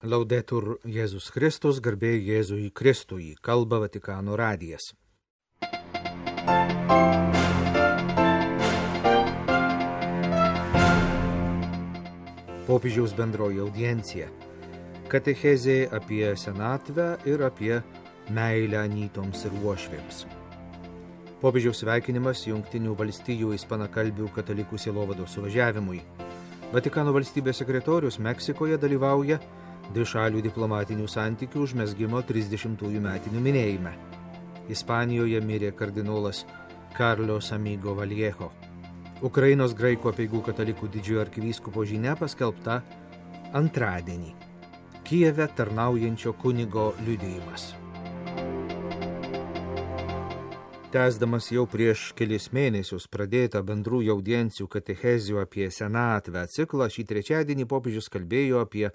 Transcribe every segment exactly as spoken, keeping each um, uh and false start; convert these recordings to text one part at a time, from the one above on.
Laudetur Jėzus Kristus, garbė Jėzui Kristui, kalba Vatikano radijas. Popiežiaus bendroji audiencija. Katechezė apie senatvę ir apie meilę anytoms ir uošvėms. Popiežiaus sveikinimas Jungtinių valstijų ispanakalbių katalikų sielovados suvažiavimui. Vatikano valstybės sekretorius Meksikoje dalyvauja dvišalių diplomatinių santykių užmezgimo trisdešimtųjų metinių minėjime. Ispanijoje mirė kardinolas Carlos Amigo Vallejo. Ukrainos graikų apeigų katalikų didžiojo arkivyskupo žinia paskelbta antradienį. Kijeve tarnaujančio kunigo liudijimas. Tęsdamas jau prieš kelis mėnesius pradėtą bendrųjų audiencijų katechezių apie senatvę ciklą, šį trečiadienį popiežius kalbėjo apie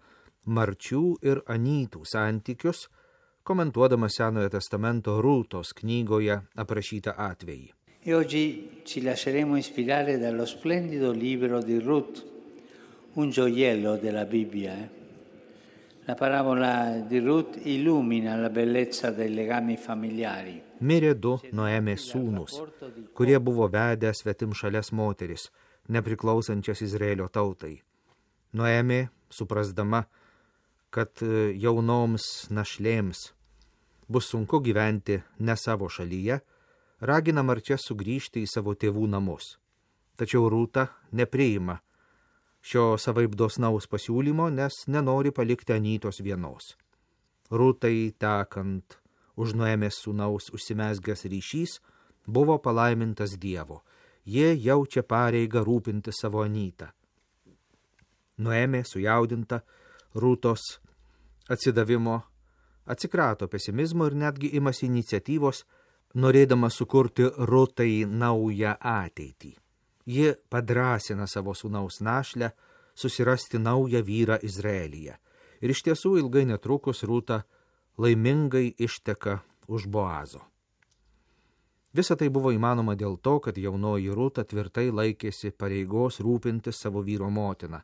marčių ir anytų santykius, komentuodamas Senojo testamento Rūtos knygoje aprašytą atvejį. E oggi ci lasceremo ispirare dallo splendido libro di Ruth, un gioiello della Bibbia. Eh? La parabola di Ruth illumina la bellezza dei legami familiari. Mirė du Noemės sūnūs, kurie buvo vedę svetimšales moteris, nepriklausančias Izraelio tautai. Noemė, suprasdama, kad jaunoms našlėms bus sunku gyventi ne savo šalyje, ragina marčias sugrįžti į savo tėvų namus. Tačiau Rūta nepriima šio savaip dosnaus pasiūlymo, nes nenori palikti anytos vienos. Rūtai tekant už Noemės sūnaus užsimezgęs ryšys buvo palaimintas Dievo. Jie jaučia pareigą rūpinti savo anytą. Noemė sujaudinta Rūtos atsidavimo atsikrato pesimizmo ir netgi imasi iniciatyvos, norėdama sukurti Rūtai naują ateitį. Ji padrąsina savo sūnaus našlę susirasti naują vyrą Izraelyje. Ir iš tiesų ilgai netrukus Rūta laimingai išteka už Boazo. Visa tai buvo įmanoma dėl to, kad jaunoji Rūta tvirtai laikėsi pareigos rūpintis savo vyro motiną,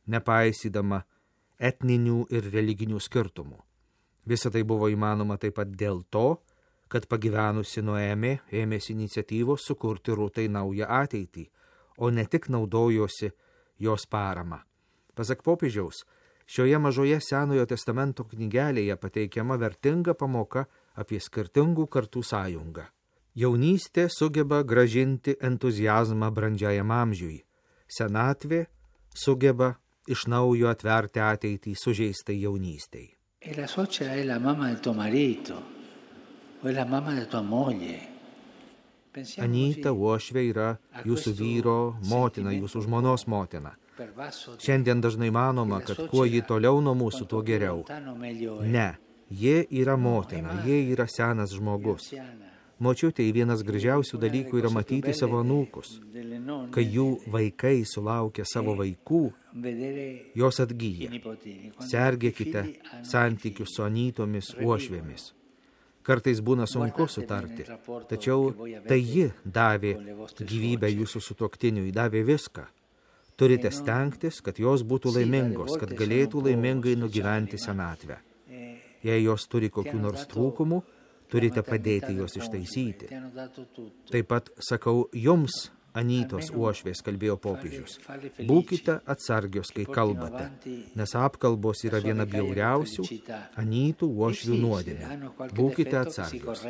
nepaisydama etninių ir religinių skirtumų. Visa tai buvo įmanoma taip pat dėl to, kad pagyvenusi Noemė ėmėsi iniciatyvos sukurti Rūtai naują ateitį, o ne tik naudojosi jos parama. Pasak popiežiaus, šioje mažoje Senojo testamento knygelėje pateikiama vertinga pamoka apie skirtingų kartų sąjungą. Jaunystė sugeba grąžinti entuziazmą brandžiajam amžiui. Senatvė sugeba iš naujo atverti ateitį sužeistai jaunystei. E la suocera è la mamma del tuo marito, o è la mamma della tua moglie. Anyta uošvė yra jūsų vyro motina, jūsų žmonos motina. Šiandien dažnai manoma, kad kuo ji toliau nuo mūsų, tuo geriau. Ne, jie yra motina, jie yra senas žmogus. Močiutei vienas gražiausių dalykų yra matyti savo anūkus. Kai jų vaikai sulaukia savo vaikų, jos atgyja. Sergėkite santykius su anytomis uošvėmis. Kartais būna sunku sutarti, tačiau tai ji davė gyvybę jūsų sutuoktiniui, davė viską. Turite stengtis, kad jos būtų laimingos, kad galėtų laimingai nugyventi senatvę. Jei jos turi kokių nors trūkumų, turite padėti juos ištaisyti. Taip pat sakau jums, anytos uošvės, kalbėjo popiežius. Būkite atsargios, kai kalbate, nes apkalbos yra viena bjauriausių anytų uošvių nuodėmė. Būkite atsargios.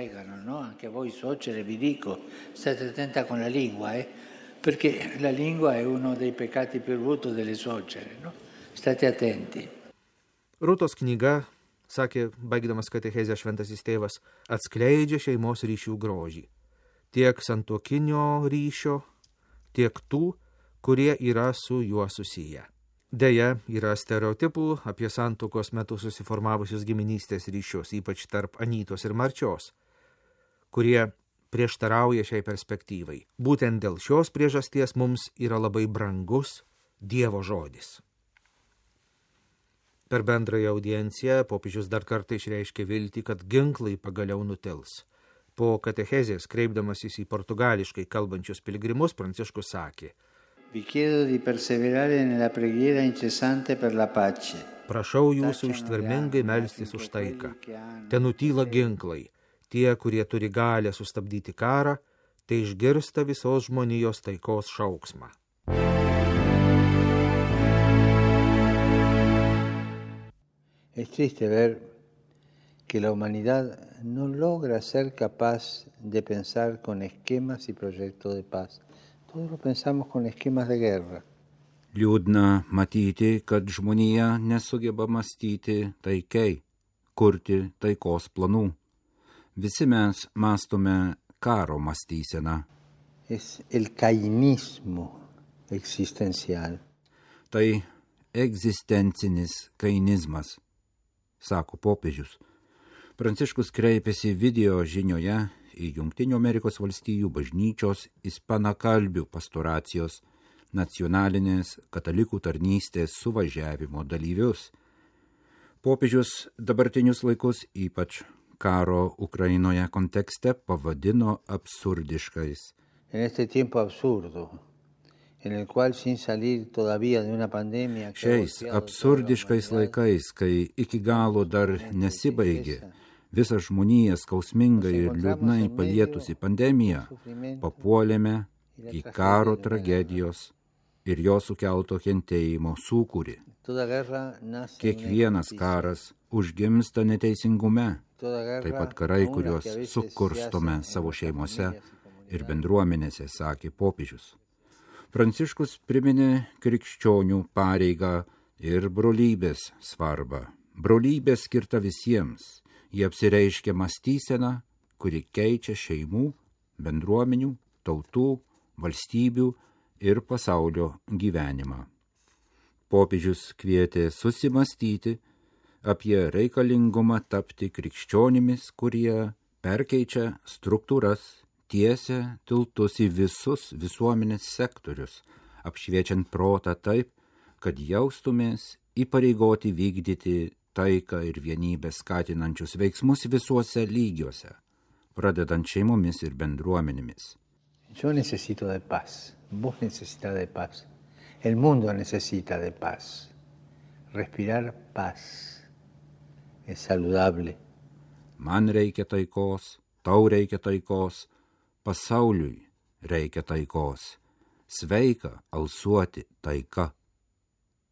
Perché la lingua è uno dei peccati più brutti delle suocere, no? State attenti. Rūtos knyga, sakė, baigdamas katechezę šventasis tėvas, atskleidžia šeimos ryšių grožį. Tiek santuokinio ryšio, tiek tų, kurie yra su juo susiję. Deja, yra stereotipų apie santuokos metu susiformavusius giminystės ryšius, ypač tarp anytos ir marčios, kurie prieštarauja šiai perspektyvai. Būtent dėl šios priežasties mums yra labai brangus Dievo žodis. Per bendrąją audienciją popiežius dar kartą išreiškė viltį, kad ginklai pagaliau nutils. Po katechezės, kreipdamasis į portugališkai kalbančius piligrimus, Pranciškus sakė: Vi chiedo di perseverare nella preghiera incessante per la pace. Prašau jūsų ištvermingai melstis už taiką. Te nutyla ginklai. Tie, kurie turi galę sustabdyti karą, tai išgirsta visos žmonijos taikos šauksmą. Es triste ver que la humanidad no logra ser capaz de pensar con esquemas y proyectos de paz. Todos lo pensamos con esquemas de guerra. Liūdna matyti, kad žmonija nesugeba mąstyti taikiai, kurti taikos planų. Visi mes mąstome karo mąstyseną. Es el kainismo existencial. Tai egzistencinis kainizmas, sako popiežius. Pranciškus kreipėsi video žinioje į Jungtinių Amerikos valstijų bažnyčios ispanakalbių pastoracijos nacionalinės katalikų tarnystės suvažiavimo dalyvius. Popiežius dabartinius laikus, ypač karo Ukrainoje kontekste, pavadino absurdiškais. En este tiempo absurdo, en el cual sin salir todavía de una pandemia. Šiais absurdiškais laikais, kai iki galo dar nesibaigė visą žmoniją skausmingai ir liūdnai palietusi pandemija, papuolėme į karo tragedijos ir jo sukelto kentėjimo sūkurį. Kiekvienas karas užgimsta neteisingume, taip pat karai, kuriuos sukurstome savo šeimose ir bendruomenėse, sakė popiežius. Pranciškus priminė krikščionių pareigą ir brolybės svarbą. Brolybė skirta visiems. Jie apsireiškia mąstyseną, kuri keičia šeimų, bendruomenių, tautų, valstybių ir pasaulio gyvenimą. Popiežius kvietė susimąstyti apie reikalingumą tapti krikščionimis, kurie perkeičia struktūras, tiesia tiltus į visus visuomenės sektorius, apšviečiant protą taip, kad jaustumės įpareigoti vykdyti taiką ir vienybę skatinančius veiksmus visuose lygiuose, pradedant šeimomis ir bendruomenėmis. Yo necesito de paz, vos necesitas de paz, el mundo necesita de paz. Respirar paz es saludable. Man reikia taikos, tau reikia taikos, pasauliui reikia taikos, sveika alsuoti taika,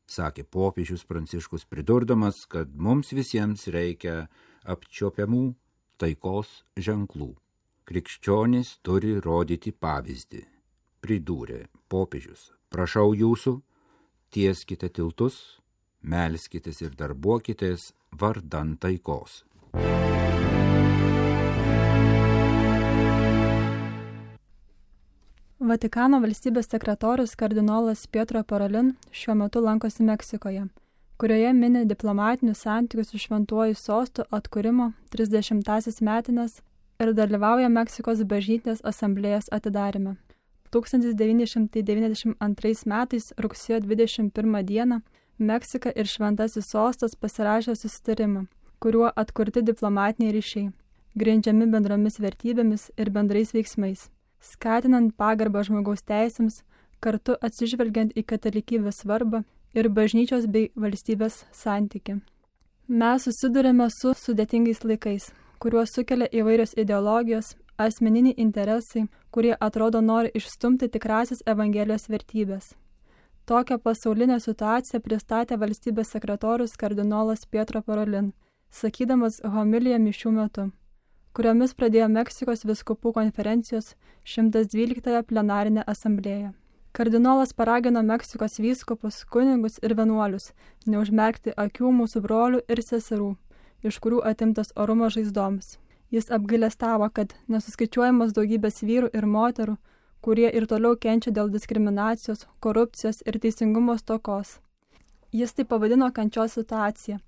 sakė popiežius Pranciškus, pridurdamas, kad mums visiems reikia apčiuopiamų taikos ženklų. Krikščionys turi rodyti pavyzdį, pridūrė popiežius. Prašau jūsų, tieskite tiltus, melskitės ir darbuokitės vardan taikos. Vatikano valstybės sekretorius kardinolas Pietro Parolin šiuo metu lankosi Meksikoje, kurioje mini diplomatinių santykių su šventuoju sostu atkūrimo trisdešimtąsias metines ir dalyvauja Meksikos bažnytinės asamblėjos atidaryme. tūkstantis devyni šimtai devyniasdešimt antrais metais rugsėjo dvidešimt pirmą dieną Meksika ir šventasis sostas pasirašė susitarimą, kuriuo atkurti diplomatiniai ryšiai, grindžiami bendromis vertybėmis ir bendrais veiksmais, skatinant pagarbą žmogaus teisėms, kartu atsižvelgiant į katalikybės svarbą ir bažnyčios bei valstybės santykį. Mes susidurėme su sudėtingais laikais, kuriuos sukelia įvairios ideologijos, asmeniniai interesai, kurie atrodo nori išstumti tikrasis Evangelijos vertybės. Tokią pasaulinę situaciją pristatė valstybės sekretorius kardinolas Pietro Parolin, sakydamas homiliją mišių metu, kuriomis pradėjo Meksikos vyskupų konferencijos šimtas dvyliktąją plenarinę asamblėją. Kardinolas paragino Meksikos vyskupus, kunigus ir vienuolius neužmerkti akių mūsų brolių ir seserų, iš kurių atimtas orumo žaizdoms. Jis apgailestavo, kad nesuskaičiuojamas daugybės vyrų ir moterų, kurie ir toliau kenčia dėl diskriminacijos, korupcijos ir teisingumo stokos. Jis tai pavadino kančios situaciją,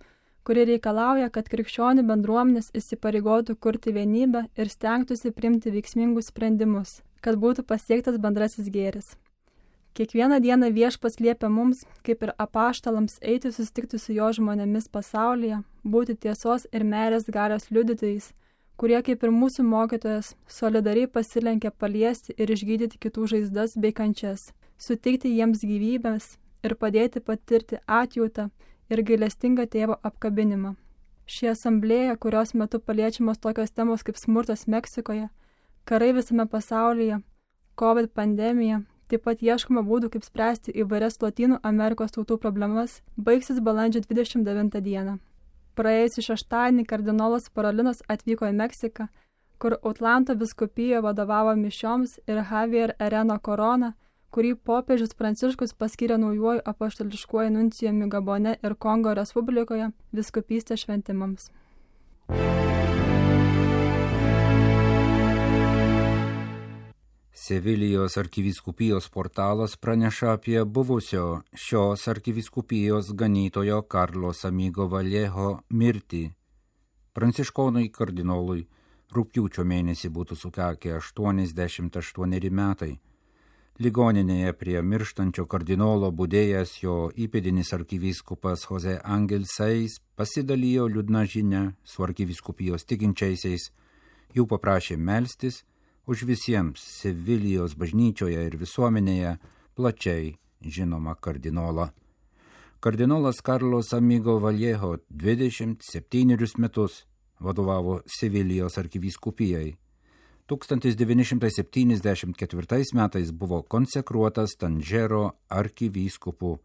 kuri reikalauja, kad krikščionių bendruomenės įsipareigotų kurti vienybę ir stengtųsi priimti veiksmingus sprendimus, kad būtų pasiektas bendrasis gėris. Kiekvieną dieną Viešpats liepia mums, kaip ir apaštalams, eiti susitikti su jo žmonėmis pasaulyje, būti tiesos ir meilės galios liudytojais, kurie, kaip ir mūsų mokytojas, solidariai pasilenkia paliesti ir išgydyti kitų žaizdas bei kančias. suteikti jiems gyvybės ir padėti patirti atjautą ir gailestingą tėvo apkabinimą. Ši asamblėja, kurios metu paliečiamos tokios temos kaip smurtas Meksikoje, karai visame pasaulyje, COVID pandemija, taip pat ieškoma būdų, kaip spręsti įvairias Lotynų Amerikos tautų problemas, baigsis balandžio dvidešimt devintą dieną. Praėjusį šeštadienį kardinolas Parolinas atvyko į Meksiką, kur Atlanto vyskupijoje vadovavo mišioms, ir Javier Ereno Corona, kurį popiežius Pranciškus paskyrė naujuoju apaštališkuoju nuncijumi Gabone ir Kongo Respublikoje vyskupystės šventimams. Sevilijos arkivyskupijos portalas praneša apie buvusio šios arkivyskupijos ganytojo Carlos Amigo Vallejo mirtį. Pranciškonui kardinolui rugpjūčio mėnesį būtų sukakę aštuoniasdešimt aštuoneri metai. Ligoninėje prie mirštančio kardinolo budėjęs jo įpėdinis arkivyskupas Jose Angel Seis pasidalijo liūdna žinia su arkivyskupijos tikinčiaisiais, jų paprašė melstis už visiems Sevilijos bažnyčioje ir visuomenėje plačiai žinoma kardinolą. Kardinolas Carlos Amigo Vallejo dvidešimt septynerius metus vadovavo Sevilijos arkivyskupijai. tūkstantis devyni šimtai septyniasdešimt ketvirtais metais buvo konsekruotas Tanžero arkivyskupu.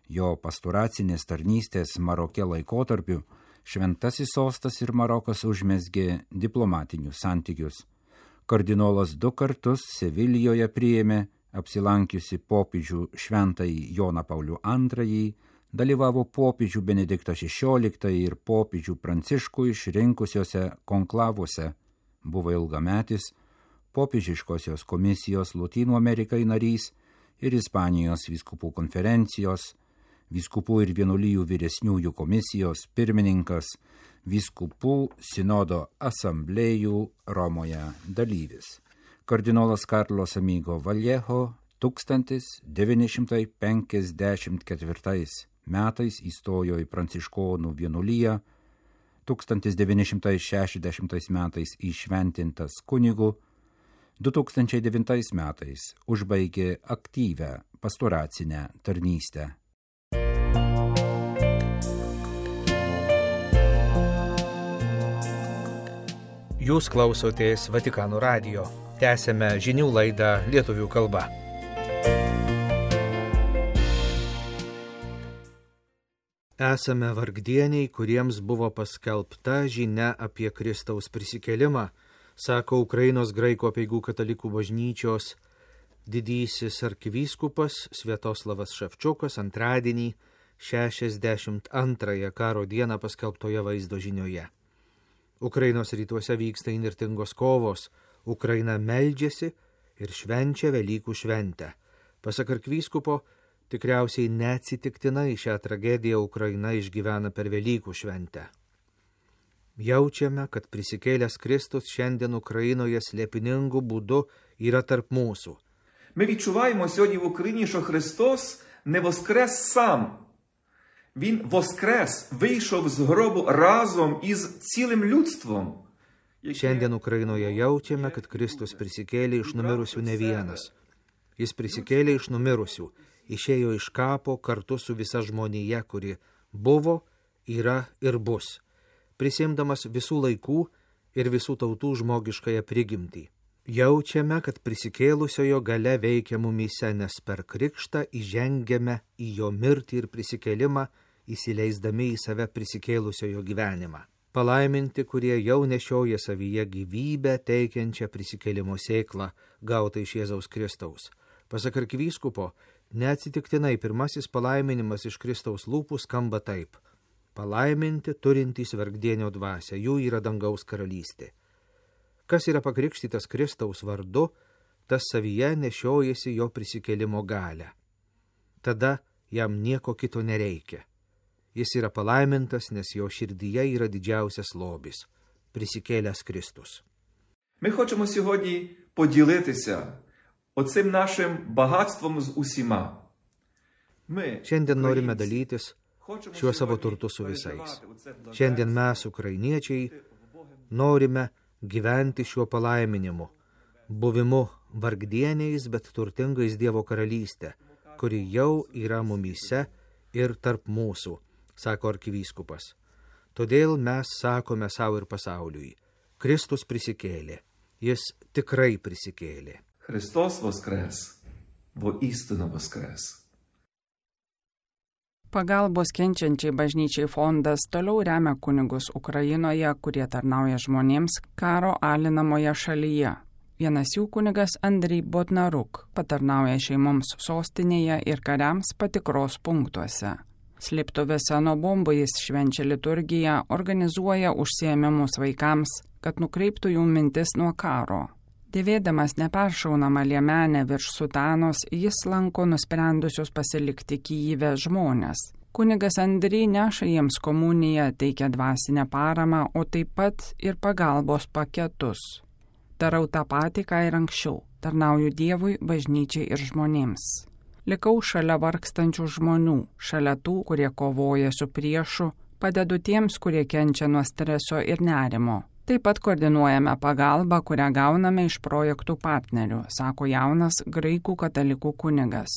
Jo pastoracinės tarnystės Maroke laikotarpiu šventasis sostas ir Marokas užmezgė diplomatinius santykius. Kardinolas du kartus Sevilijoje priėmė apsilankiusi popiežių šventąjį Joną Paulių antrąjį, dalyvavo popiežių Benediktą šešioliktąjį ir popiežių Pranciškų išrinkusiuose konklavuose, buvo ilgametis popiežiškosios komisijos Lotynų Amerikai narys ir Ispanijos vyskupų konferencijos, vyskupų ir vienuolijų vyresniųjų komisijos pirmininkas, vyskupų sinodo asamblėjų Romoje dalyvis. Kardinolas Carlos Amigo Vallejo tūkstantis devyni šimtai penkiasdešimt ketvirtais metais įstojo į pranciškonų vienuoliją, tūkstantis devyni šimtai šešiasdešimtais metais įšventintas kunigu, du tūkstančiai devintais metais užbaigė aktyvią pastoracinę tarnystę. Jūs klausotės Vatikano radijo. Tęsėme žinių laidą lietuvių kalba. Esame vargdieniai, kuriems buvo paskelbta žinia apie Kristaus prisikėlimą, sako Ukrainos graikų apeigų katalikų bažnyčios didysis arkivyskupas Sviatoslavas Ševčiukas antradienį šešiasdešimt antrąją karo dieną paskelbtoje vaizdo žinioje. Ukrainos rytuose vyksta įnirtingos kovos, Ukraina meldžiasi ir švenčia Velykų šventę. Pasak arkivyskupo, tikriausiai neatsitiktinai šią tragediją Ukraina išgyvena per Velykų šventę. Jaučiame, kad prisikėlęs Kristus šiandien Ukrainoje slėpiningų būdu yra tarp mūsų. Ми відчуваємо сьогодні в Україні, що Христос не воскрес сам. Він воскрес, вийшов з гробу разом із цілим людством. Šiandien Ukrainoje jaučiame, kad Kristus prisikėlė iš numirusių ne vienas. Jis prisikėlė iš numirusių, išėjo iš kapo kartu su visa žmonija, kuri buvo, yra ir bus, prisimdamas visų laikų ir visų tautų žmogiškąją prigimtį. Jaučiame, kad prisikėlusiojo galia veikia mumyse, nes per krikštą įžengiame į jo mirtį ir prisikėlimą, įsileisdami į save prisikėlusiojo gyvenimą. Palaiminti, kurie jau nešioja savyje gyvybę teikiančią prisikėlimo sėklą, gautą iš Jėzaus Kristaus. Pasak arkivyskupo, neatsitiktinai pirmasis palaiminimas iš Kristaus lūpų skamba taip: palaiminti turintys vargdienio dvasią, jų yra dangaus karalystė. Kas yra pakrikštytas Kristaus vardu, tas savyje nešiojasi jo prisikėlimo galią. Tada jam nieko kito nereikia. Jis yra palaimintas, nes jo širdyje yra didžiausias lobis – prisikėlęs Kristus. Ми хочемо сьогодні поділитися оцим нашим багатством з усіма. Ми, Šiandien norime dalytis šiuo savo turtu su visais. Šiandien mes, ukrainiečiai, norime gyventi šiuo palaiminimu, buvimu vargdieniais, bet turtingais Dievo karalystę, kuri jau yra mumyse ir tarp mūsų, sako arkivyskupas. Todėl mes sakome savo ir pasauliui, Kristus prisikėlė, jis tikrai prisikėlė. Христос воскрес, воістину воскрес. Pagalbos kenčiančiai bažnyčiai fondas toliau remia kunigus Ukrainoje, kurie tarnauja žmonėms karo alinamoje šalyje. Vienas jų kunigas Andrij Bodnaruk patarnauja šeimoms sostinėje ir kariams patikros punktuose. Slėptuvėse nuo bombų jis švenčia liturgiją, organizuoja užsiėmimus vaikams, kad nukreiptų jų mintis nuo karo. Dėvėdamas neperšaunamą liemenę virš sutanos, jis lanko nusprendusius pasilikti Kyjive žmonės. Kunigas Andrij neša jiems komuniją, teikia dvasinę paramą, o taip pat ir pagalbos paketus. Darau tą patį, ką ir anksčiau, tarnauju Dievui, bažnyčiai ir žmonėms. Likau šalia vargstančių žmonių, šalia tų, kurie kovoja su priešu, padedu tiems, kurie kenčia nuo streso ir nerimo. Taip pat koordinuojame pagalbą, kurią gauname iš projektų partnerių, sako jaunas graikų katalikų kunigas.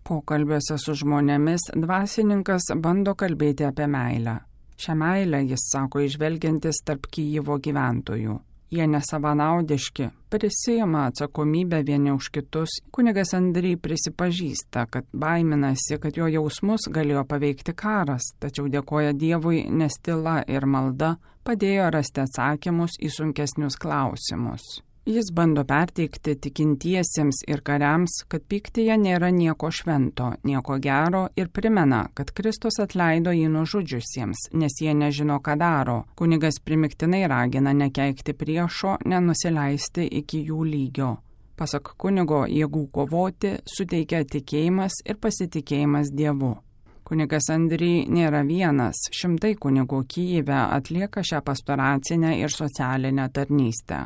Pokalbiuose su žmonėmis dvasininkas bando kalbėti apie meilę. Šią meilę jis sako išvelgiantis tarp Kyjivo gyventojų. Jie nesavanaudiški, prisijama atsakomybę vieni už kitus. Kunigas Andrij prisipažįsta, kad baiminasi, kad jo jausmus galėjo paveikti karas, tačiau dėkoja Dievui, nes tyla ir malda padėjo rasti atsakymus į sunkesnius klausimus. Jis bando perteikti tikintiesiems ir kariams, kad pyktyje nėra nieko švento, nieko gero ir primena, kad Kristus atleido jį nužudžiusiems, nes jie nežino, ką daro. Kunigas primiktinai ragina nekeikti priešo, nenusileisti iki jų lygio. Pasak kunigo, jėgų kovoti suteikia tikėjimas ir pasitikėjimas Dievu. Kunigas Andrij nėra vienas, šimtai kunigų Kyjive atlieka šią pastoracinę ir socialinę tarnystę.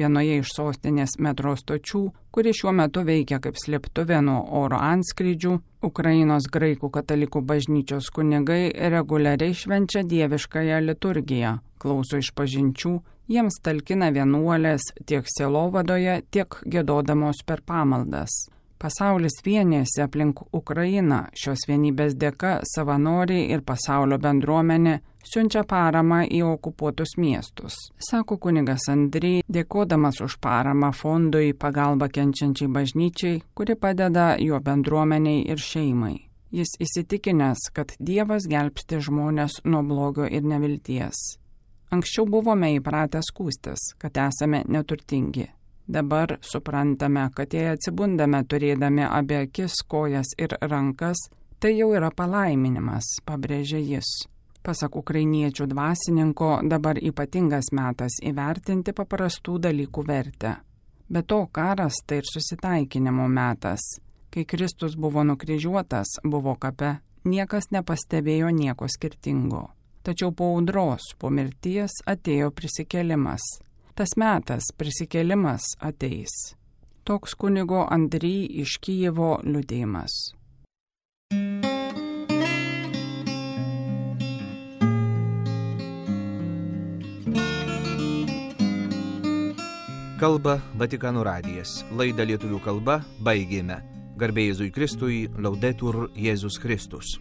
Vienoje iš sostinės metro stočių, kuri šiuo metu veikia kaip slėptuvė nuo oro antskrydžių, Ukrainos graikų katalikų bažnyčios kunigai reguliariai švenčia dieviškąją liturgiją, klauso išpažinčių, jiems talkina vienuolės tiek sielovadoje, tiek giedodamos per pamaldas. Pasaulis vienėsi aplink Ukrainą, šios vienybės dėka savanoriai ir pasaulio bendruomenė siunčia paramą į okupuotus miestus. Sako kunigas Andrij, dėkodamas už paramą fondui pagalba kenčiančiai bažnyčiai, kuri padeda jo bendruomeniai ir šeimai. Jis įsitikinęs, kad Dievas gelbsti žmonės nuo blogio ir nevilties. Anksčiau buvome įpratę skųstis, kad esame neturtingi. Dabar suprantame, kad jei atsibundame turėdami abi akis, kojas ir rankas, tai jau yra palaiminimas, pabrėžė jis. Pasak ukrainiečių dvasininko, dabar ypatingas metas įvertinti paprastų dalykų vertę. Be to, karas tai ir susitaikinimo metas. Kai Kristus buvo nukryžiuotas, buvo kape, niekas nepastebėjo nieko skirtingo. Tačiau po audros, po mirties atėjo prisikėlimas. Tas metas prisikėlimas ateis. Toks kunigo Andrij iš Kyjivo liudijimas. Kalba Vatikano radijas. Laidą lietuvių kalba baigėme. Garbė Jėzui Kristui, Laudetur Jėzus Kristus.